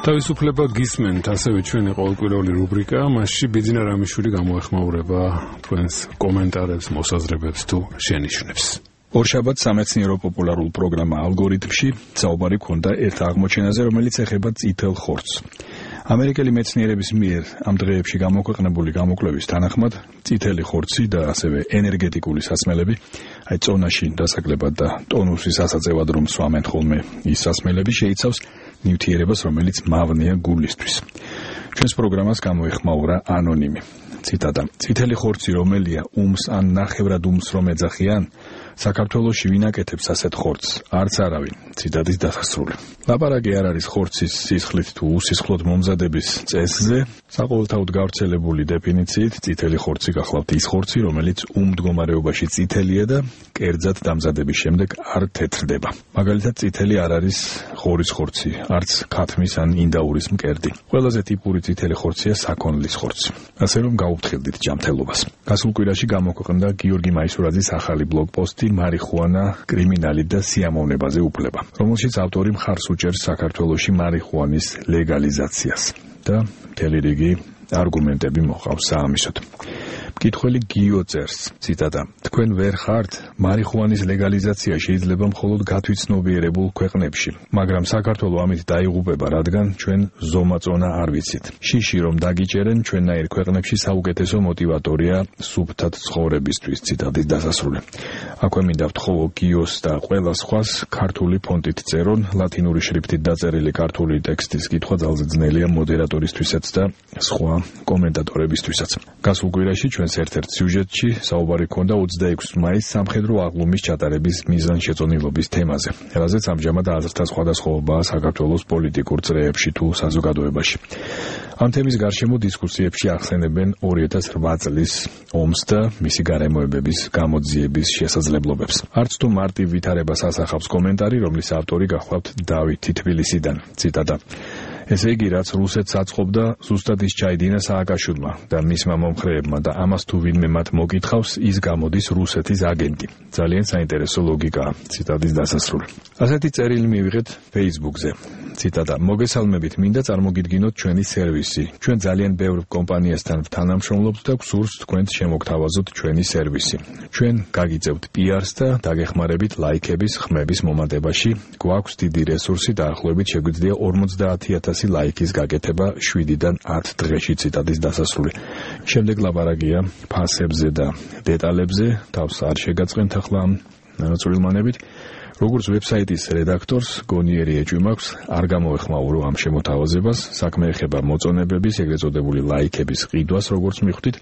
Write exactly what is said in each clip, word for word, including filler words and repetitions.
თავისუფლება გისმენთ, ასევე ჩვენი ყოველკვირეული რუბრიკა, მასში ბიძინა რამიშვილი გამოეხმაურება თქვენს კომენტარებს, მოსაზრებებს თუ შენიშვნებს. ორშაბათ სამეცნიერო პოპულარულ პროგრამა ალგორითმში საუბარი ქონდა ერთ აღმოჩენაზე, რომელიც ეხება წითელ ხორცს. ამერიკელი მეცნიერების მიერ ამ დღეებში გამოქვეყნებული გამოკვლევის თანახმად წითელი ხორცი და ასევე ენერგეტიკული სასმელები, აი წონაში დასაკლებად და ტონუსის ასაწევად რომ სვამენ ხოლმე ის სასმელები შეიცავს ნივთიერებას, რომელიც მავნეა გულისთვის. ჩვენს პროგრამას გამოეხმაურა ანონიმი. ციტატა: წითელი ხორცი რომელია უმს ან ნახევრად უმს რომ ეძახიან, საქართველოში ვინ აკეთებს ასეთ ხორცს? არც არავინ. ციტატის დასასრული. ლაპარაკი არ არის ხორცის სისხლით თუ უსისხლოდ მომზადების წესზე. საყოველთაოდ გავრცელებული დეფინიციით წითელი ხორცი გახლავთ ის ხორცი, რომელიც უმ მდგომარეობაში წითელია და კერძად დამზადების შემდეგ არ თეთრდება. მაგალითად, წითელი არ არის ღორის ხორცი, არც ქათმის ან ინდაურის მკერდი. ყველაზე ტიპური წითელი ხორცია საქონლის ხორცი. ასე რომ გაუფრთხილდით ჯანმრთელობას. გასულ კვირაში გამოქვეყნდა გიორგი მაისურაძის ახალი ბლოგპოსტი მარიხუანა, კრიმინალი და სიამოვნებაზე უფლება, რომელშიც ავტორი მხარს უჭერს საქართველოში მარიხუანის ლეგალიზაციას და მთელი რიგი არგუმენტები მოყავს საამისოდ. მკითხველი გიო წერს, ციტატა: თქვენ ვერ ხართ? მარიხუანის ლეგალიზაცია შეიძლება მხოლოდ გათვითცნობიერებულ ქვეყნებში, მაგრამ საქართველო ამით დაიღუპება, რადგან ჩვენ ზომაწონა არ ვიცით. შიში რომ დაგიჭერენ, ჩვენნაირ ქვეყნებში საუკეთესო მოტივატორია სუფთად ცხოვრებისთვის. ციტატის დასასრული. აქვე მინდა ვთხოვო გიოს და ყველა სხვას ქართული ფონტით წერონ, ლათინური შრიფტით დაწერილი ქართული ტექსტის კითხვა ძალზე ძნელია მოდერატორისთვისაც და სხვა კომენტატორებისთვისაც. გასულ კვირაში ჩვენს ერთ-ერთ სიუჟეტში საუბარი ქონდა ოცდაექვსი მაისს სამხედრო აღლუმის ჩატარების მიზანშეწონილობის თემაზე, რაზეც ამჟამად აზრთა სხვადასხვაობაა საქართველოს პოლიტიკურ წრეებში თუ საზოგადოებაში. ამ თემის გარშემო დისკუსიებში ახსენებენ ორი ათას რვა წლის ომს და მისი გარემოებების გამოძიების შესაძლებლობებს. არც თუ მარტივ ვითარებას ასახავს კომენტარი, რომლის ავტორი გახლავთ დავითი თბილისიდან. ციტატა: ესე იგი, რაც რუსეთს აწყობდა, ზუსტად ის ჩაიდინა სააკაშვილმა და მისმა მომხრეებმა და ამას თუ ვინმე მათ მოგითხავს, ის გამოდის რუსეთის აგენტი. ძალიან საინტერესო ლოგიკაა. ციტატის დასასრული. ასეთი წერილი მივიღეთ Facebook-ზე. ციტატა: მოგესალმებით, მინდა წარმოგიდგინოთ ჩვენი სერვისი. ჩვენ ძალიან ბევრ კომპანიასთან ვთანამშრომლობთ და გსურს თქვენს შემოგთავაზოთ ჩვენი სერვისი. ჩვენ გაგიწევთ პი-არს და დაგეხმარებით ლაიქების, ხმების მომატებაში. გვაქვს დიდი რესურსი, დაახლოებით შეგვიძლია ორმოცდაათი ათასი ლაიქის გაკეთება შვიდიდან ათ დღეში. ციტატის დასასრული. შემდეგ ლაპარაკია ფასებზე და დეტალებზე, თავს არ შეგაწყენთ ახლა ამ წვრილმანებით. როგორც ვებსაიტის რედაქტორს გონიერი ეჭვი მაქვს, არ გამოეხმაურო ამ შემოთავაზებას, საქმე ეხება მოწონებების, ეგრეთ წოდებული ლაიქების ყიდვას, როგორც მიხვდით.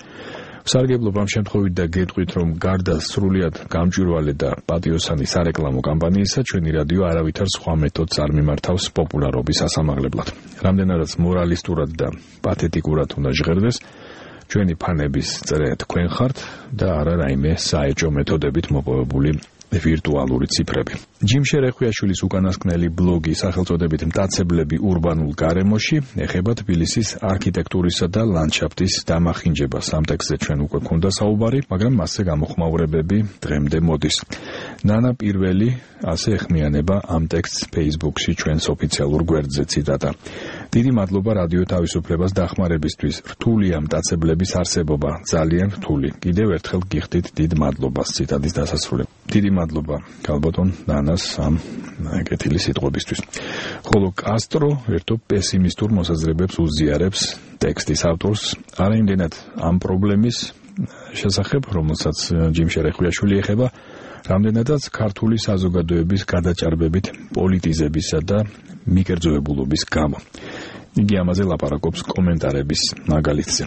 ვსარგებლობ ამ შემთხვევით და გეტყვით, რომ გარდა სრულიად გამჭვირვალე და პატიოსანი სარეკლამო კამპანიისა, ჩვენი რადიო არავითარ სხვა მეთოდს არ მიმართავს პოპულარობის ასამაღლებლად. რამდენადაც მორალისტურად და პათეტიკურად უნდა ჟღერდეს, ჩვენი ფანების წრე თქვენ ხართ და არა რაიმე საეჭვო მეთოდებით მოპოვებული ვირტუალური ციფრები. ჯიმ შერეხვიაშვილის უკანასკნელი ბლოგი სახელწოდებით მტაცებლები ურბანულ გარემოში ეხება თბილისის არქიტექტურისა და ლანდშაფტის დამახინჯებას. ამ ტექსტზე ჩვენ უკვე ქონდა საუბარი, მაგრამ მასზე გამოხმაურებები დღემდე მოდის. ნანა პირველი ასე ეხმიანება ამ ტექსტს Facebook-ში ჩვენს ოფიციალურ გვერდზე. ციტატა: დიდი მადლობა რადიო თავისუფლებას დახმარებისთვის. რთულია მტაცებლების არსებობა, ძალიან რთული. კიდევ ერთხელ გიხდით დიდ მადლობას. ციტატის დასასრული. დიდი მადლობა ქალბატონ ნანას ამ კეთილი სიტყვებისთვის. ხოლო კასტრო ერთო პესიმისტურ მოსაზრებებს უზიარებს ტექსტის ავტორს, არა იმდენად ამ პრობლემის შესახებ, რომელსაც ჯიმ შერეხვიაშვილი ეხება, რამდენადაც ქართული საზოგადოების გადაჭარბებით პოლიტიზებისა და მიკერძოებულობის გამო. იგი ამაზე ლაპარაკობს კომენტარების მაგალითზე.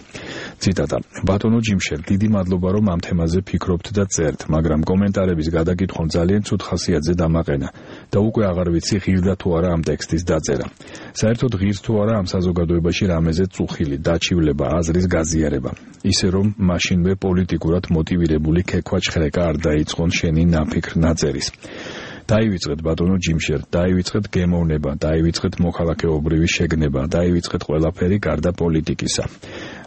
ციტატა: ბატონო ჯიმშერ, დიდი მადლობა რომ ამ თემაზე ფიქრობთ და წერთ, მაგრამ კომენტარების გადაკითხვამ ძალიან ცუდ ხასიათზე დამაყენა და უკვე აღარ ვიცი ღირდა თუ არა ამ ტექსტის დაწერა. საერთოდ ღირს თუ არა ამ საზოგადოებაში რამეზე წუხილი, დაჩივლება, აზრის გაზიარება. ისე რომ მაშინვე პოლიტიკურად მოტივირებული ქექვაჩხრეკა არ დაიწყონ შენი ნაფიქრ ნაწერის. დაივიწყეთ ბატონო ჯიმშერ, დაივიწყეთ გემოვნება, დაივიწყეთ მოქალაქეობრივი შეგნება, დაივიწყეთ ყველაფერი გარდა პოლიტიკისა.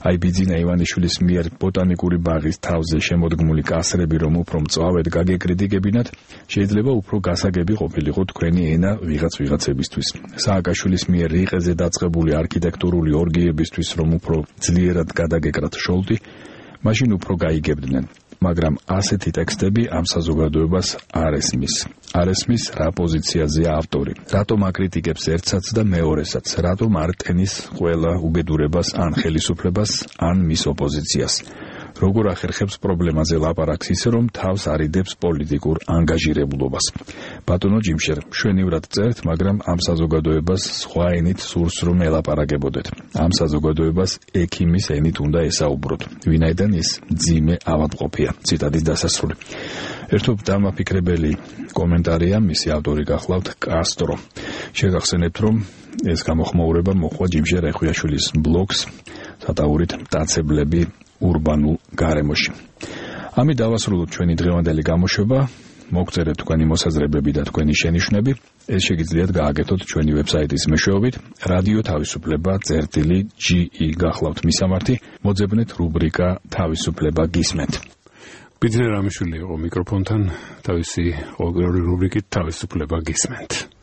აი ბიძინა ივანიშვილის მიერ ბოტანიკური ბაღის თავზე შემოდგმული კასრები რომ უფრო მწვავედ გაგეკრიტიკებინათ, შეიძლება უფრო გასაგები ყოფილიყო თქვენი ენა ვიღაც ვიღაცებისთვის. სააკაშვილის მიერ რიყეზე დაწყებული არქიტექტურული ორგიებისთვის რომ უფრო ძლიერად გადაგეკრათ შოლტი, მაშინ უფრო გაიგებდნენ. მაგრამ ასეთი ტექსტები ამ საზოგადოებას არ ესმის. არ ესმის რა პოზიციაზეა ავტორი. რატომ აკრიტიკებს ერთსაც და მეორესაც, რატომ არ ტენის ყველა უბედურებას ან ხელისუფლებას, ან მის ოპოზიციას. როგორ ახერხებს პრობლემაზე ლაპარაკს ისე რომ თავს არიდებს პოლიტიკურ ანგაჟირებულობას. ბატონო ჯიმშერ, მშვენივრად წერთ, მაგრამ ამ საზოგადოებას სხვა ენით სურს რომ ელაპარაკებოდეთ. ამ საზოგადოებას ექიმის ენით უნდა ესაუბროთ. ვინაიდან ის ძიმე ავადმყოფია. ციტატის დასასრული. ერთობ დამაფიქრებელი კომენტარია, მისი ავტორი გახლავთ კასტრო. შეგახსენებთ, რომ ეს გამოხმაურება მოხდა ჯიმშერ ეხვიაშვილის ბლოგს სატაურით მტაცებლები ურბანულ გარემოში. ამით დავასრულოთ ჩვენი დღევანდელი გამოშვება. მოგწერეთ თქვენი მოსაზრებები და თქვენი შენიშვნები. ეს შეგიძლიათ გააკეთოთ ჩვენი ვებსაიტის მეშვეობით. რადიო თავისუფლება წერტილი ჯი ი გახლავთ მისამართი. მოძებნეთ რუბრიკა თავისუფლება გისმენთ. ბიძინა რამიშვილი იყო მიკროფონთან, თავისი ყოველგვარი რუბრიკით თავისუფლება გისმენთ.